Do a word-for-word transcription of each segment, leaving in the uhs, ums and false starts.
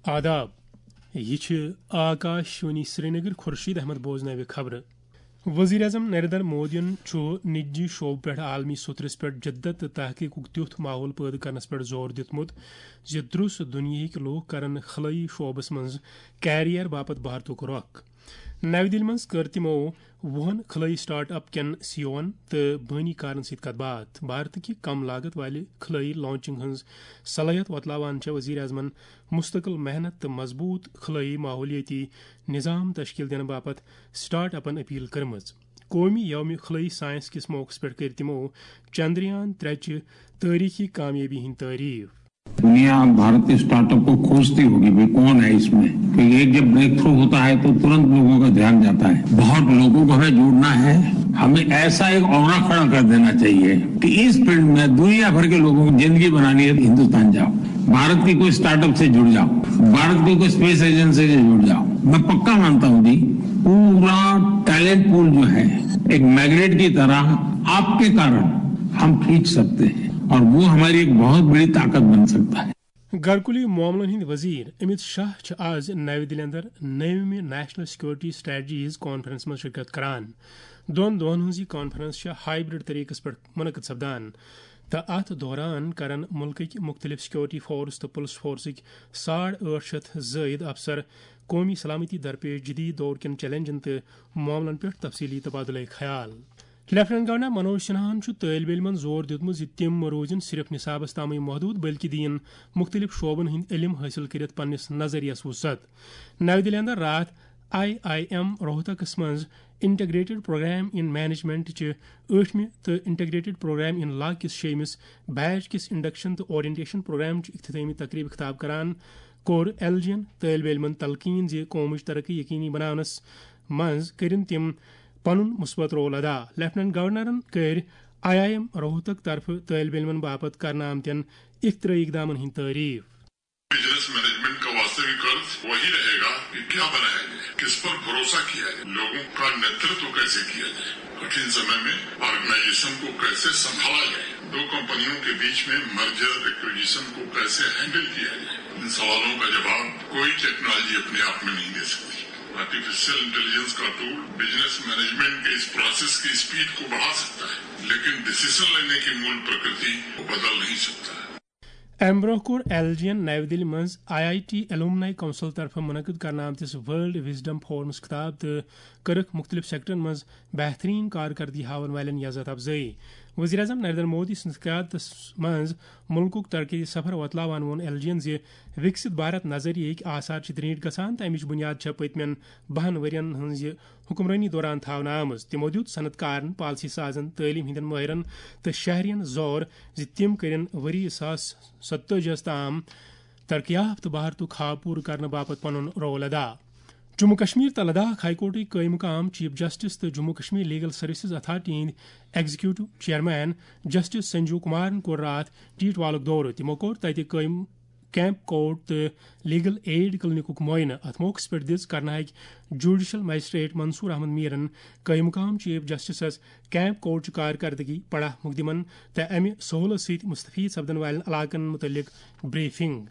آداب، یہِ چھِ آکاش وانی سرینگر۔ خورشید احمد بوزناوِ خبرٕ۔ وزیر اعظم نریندر مودیَن چھُ نجی شعبہٕ پٮ۪ٹھ عالمی سترس پٮ۪ٹھ جدت تہٕ تحقیقُک تیُتھ ماحول پٲدٕ کرنس پٮ۪ٹھ زور دیُتمُت زِ درُس دُنیاہٕکۍ لوٗکھ کرن خلٲیی شعبس منٛز کیریئر باپتھ بھارتُک رۄخ۔ نَوِ دِلہِ منٛز کٔر تِمَو وُہَن خلٲیی سٹارٹ اپ کٮ۪ن سی ای اوَن تہٕ بٲنی کارَن سۭتۍ کَتھ باتھ۔ بھارتٕکہِ کم لاگت والہِ خلٲیی لانچنگ ہٕنٛز صلٲحیت وۄتلاوان چھےٚ وزیر اعظمَن مستقل محنت تہٕ مضبوط خلٲیی ماحولیٲتی نظام تشکیل دِنہٕ باپتھ سٹارٹ اپَن اپیل کٔرمٕژ۔ قومی یوم خلٲیی سائنس کِس موقعس پٮ۪ٹھ کٔرۍ تِمَو چندریان ترٛےٚ چہِ تٲریخی کامیٲبی ہٕنٛدۍ تعریف۔ दुनिया भारतीय स्टार्टअप को खोजती होगी, भाई कौन है इसमें, क्योंकि एक जब ब्रेक थ्रू होता है तो तुरंत लोगों का ध्यान जाता है। बहुत लोगों को हमें जोड़ना है, हमें ऐसा एक ऑरा खड़ा कर देना चाहिए कि इस फील्ड में दुनिया भर के लोगों की जिंदगी बनानी है तो हिंदुस्तान जाओ, भारत की कोई स्टार्टअप से जुड़ जाओ, भारत की कोई स्पेस एजेंसी से जुड़ जाओ। मैं पक्का मानता हूँ जी, पूरा टैलेंट पूल जो है, एक मैग्नेट की तरह आपके कारण हम खींच सकते हैं और वो हमारी एक बहुत बड़ी ताकत बन सकता है। گرکُلی معاملن ہٕنٛدۍ وزیر امیت شاہ چھِ آز نَوِ دِلہِ اندر نٔومہِ نیشنل سیکورٹی سٹریٹجیز کانفرنس منٛز شرکت کران۔ دۄن دۄہن ہٕنٛز یہِ کانفرنس چھےٚ ہائبرڈ طریقس پٮ۪ٹھ منعقد سپدان تہٕ اتھ دوران کرن مُلکٕکۍ مُختٔلِف سیکورٹی فورس تہٕ پُلس فورسٕکۍ ساڑ ٲٹھ شیٚتھ زٲیِد افسر قومی سلامتی درپیش جدید دور کٮ۪ن چیلنجن تہٕ معاملن پٮ۪ٹھ تفصیلی تبادلہٕ خیال۔ لیفٹیننٹ گورنر منوج سنہاہن چھُ طٲلبہِ علمن زور دیُتمُت زِ تِم مہ روزن صرف نصابس تامٕے محدود، بلکہِ دِیِن مُختٔلِف شعبن ہٕنٛدۍ علم حٲصِل کٔرِتھ پننِس نظریس وسعت۔ نَوِ دِلہِ اندر راتھ آئی آئی ایم روہتکس منٛز انٹیگریٹڈ پروگرام ان مینجمنٹ چہِ ٲٹھمہِ تہٕ انٹیگریٹڈ پروگرام ان لا کِس شیٚیمِس بیچ کِس انڈکشن تہٕ اورینٹیشن پروگرام چہِ افتتاحی تقریبہِ خطاب کران کوٚر ایل جی ین طٲلبہِ علمن تلقین زِ قومٕچ ترقی یقینی بناونس منٛز کٔرِن تِم پنُن مثبت رول ادا۔ لیفٹیننٹ گورنرن کٔرۍ آئی آئی ایم روہتک طرفہٕ طٲلبہِ علمن باپتھ کرنہٕ آمتٮ۪ن اختراعی اقدامن ہٕنٛدۍ تعریف۔ بزنس مینجمنٹ کا واستوی قرض وہی رہے گا کہ کیا بنایا جائے، کس پر بھروسہ کیا جائے، لوگوں کا نیترتو کیسے کیا جائے، کٹھن سمے میں آرگنائزیشن کو کیسے سنبھالا جائے، دو کمپنیوں کے بیچ میں مرجر ایکوزیشن کو کیسے ہینڈل کیا جائے، ان سوالوں کا جواب کوئی ٹیکنالوجی اپنے آپ میں نہیں دے سکتی۔ آرٹیفیشل انٹیلیجنس کا ٹول بزنس مینجمنٹ کے اس پروسیس کی اسپیڈ کو بڑھا سکتا ہے، لیکن ڈسیزن لینے کی مول پرکرتی کو بدل نہیں سکتا۔ امہِ برونٛہہ کوٚر ایل جی ین نَوِ دِلہِ منٛز آئی آئی ٹی ایلومنائی کونسل طرفہٕ منعقد کرنہٕ آمتِس ورلڈ وزڈم فورمس خطاب تہٕ کٔرٕکھ مُختٔلِف سیکٹرن منٛز بہترین کارکردگی ہاون والٮ۪ن عزت افزٲیی۔ وزیر اعظم نریندر مودی سٕنٛدِس قیادتس منٛز مُلکُک ترقیتی سفر وۄتلاوان ووٚن ایل جی ین زِ وِکسِت بھارت نظریہٕکۍ آثار چھِ درینٹھۍ گژھان تہٕ امِچ بُنیاد چھےٚ پٔتمٮ۪ن بَہَن ؤرین ہٕنٛز یہِ حکمرٲنی دوران تھاونہٕ آمٕژ۔ تِمو دیُت صنعت کارن، پالیسی سازن، تعلیٖم ہٕنٛدٮ۪ن مٲہرن تہٕ شہرین زور زِ تِم کٔرِن ؤری زٕ ساس ستٲجی ہس تام ترقی یافتہٕ بھارتُک خواب پوٗرٕ کرنہٕ باپتھ پنُن رول ادا۔ جموں کشمیر تہٕ لداخ ہائی کورٹٕکۍ قٲیِم مقام چیف جسٹس تہٕ Jammu Kashmir legal services authority ہٕنٛدۍ ایگزیکیوٹو چیئرمین جسٹس سنجیو کمارن کوٚر راتھ ٹیٹوالُک دورٕ۔ تِمو کوٚر تتہِ قٲیِم کیمپ کورٹ تہٕ لیگل ایڈ کلینکُک معائنہٕ۔ اتھ موقعس پٮ۪ٹھ دِژ کرناہٕکۍ جوڈیشل مجسٹریٹ منصور احمد میرن قٲیِم مقام چیف جسٹسس کیمپ کورٹ چہِ کارکردگی، پڑا مقدمن تہٕ امہِ سہولت سۭتۍ مستفید سپدن والٮ۪ن علاقن متعلق بریفنگ۔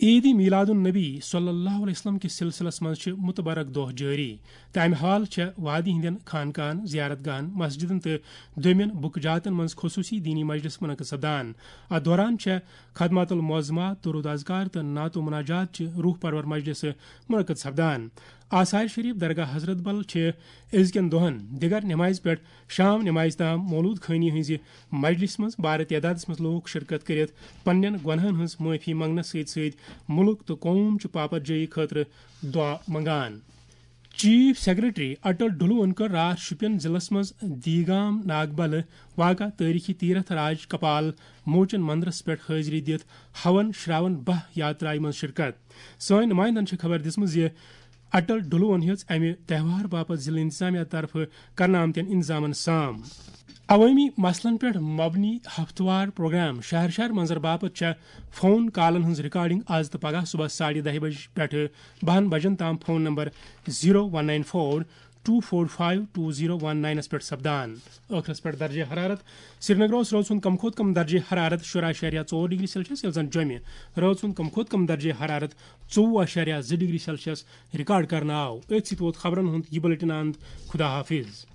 عید میلاد النبی صلی اللہ علیہ وسلم کِس سلسلس منٛز چھِ متبرک دۄہ جٲری تہٕ امہِ حال چھےٚ وادی ہٕنٛدٮ۪ن خانقاہن، زیارت گاہن، مسجدن تہٕ دوٚیمٮ۪ن بُکہٕ جاتن منٛز خصوٗصی دینی مجلس منعقد سپدان۔ اتھ دوران چھےٚ خدمات المعظمات، درود اذکار تہٕ نعت و مناجات چہِ روح پرور مجلسہٕ منعقد سپدان۔ آثار شریف درگاہ حضرت بل چھِ أزکٮ۪ن دۄہن دِگر نمازِ پٮ۪ٹھ شام نمازِ تام مولود خٲنی ہٕنٛزِ مجلسہِ منٛز بارٕ تعدادس منٛز لوٗکھ شرکت کٔرِتھ پننٮ۪ن گۄناہن ہٕنٛز معٲفی منٛگنس سۭتۍ سۭتۍ مُلک تہٕ قوم چہِ پاپت جٲیی خٲطرٕ دُعا منٛگان۔ چیف سیکرٹری اٹل ڈلوَن کٔر راتھ شوپین ضلعس منٛز دیگام ناگبلہٕ واقع تٲریخی تیرتھ راج کپال موچن مندرس پٮ۪ٹھ حٲضری دِتھ ہون شراون بہہ یاترایہِ منٛز شرکت۔ سٲنۍ نمائندن چھےٚ خبر دِژمٕژ زِ اٹل ڈلوَن ہیٚژ امہِ تہوار باپتھ ضلع انتظامیہ طرفہٕ کرنہٕ آمتٮ۪ن انتظامن سام۔ عوٲمی مسلن پٮ۪ٹھ مبنی ہفتہٕ وار پروگرام شہر شہر منظر باپتھ چھےٚ فون کالن ہٕنٛز ریکارڈنگ از تہٕ پگاہ صبحس ساڑِ دَہہِ بجہِ پٮ۪ٹھٕ بَہَن بجن تام phone number zero one nine four two four five two zero one ناینس پٮ۪ٹھ سپدان۔ ٲخرس پٮ۪ٹھ درجہ حرارت۔ سرینگر اوس رٲژ ہُنٛد کم کھۄتہٕ کم درجہ حرارت شُراہ اعشاریہ ژور ڈگری سیلسیس، ییٚلہِ زن جوٚمہِ رٲژ ہُنٛد کم کھۄتہٕ کم درجہ حرارت ژوٚوُہ اعشاریہ زٕ ڈگری سیلسیس ریکارڈ کرنہٕ آو۔ أتھۍ سۭتۍ ووت خبرن ہُنٛد یہِ بلیٹن اند۔ خدا حافظ۔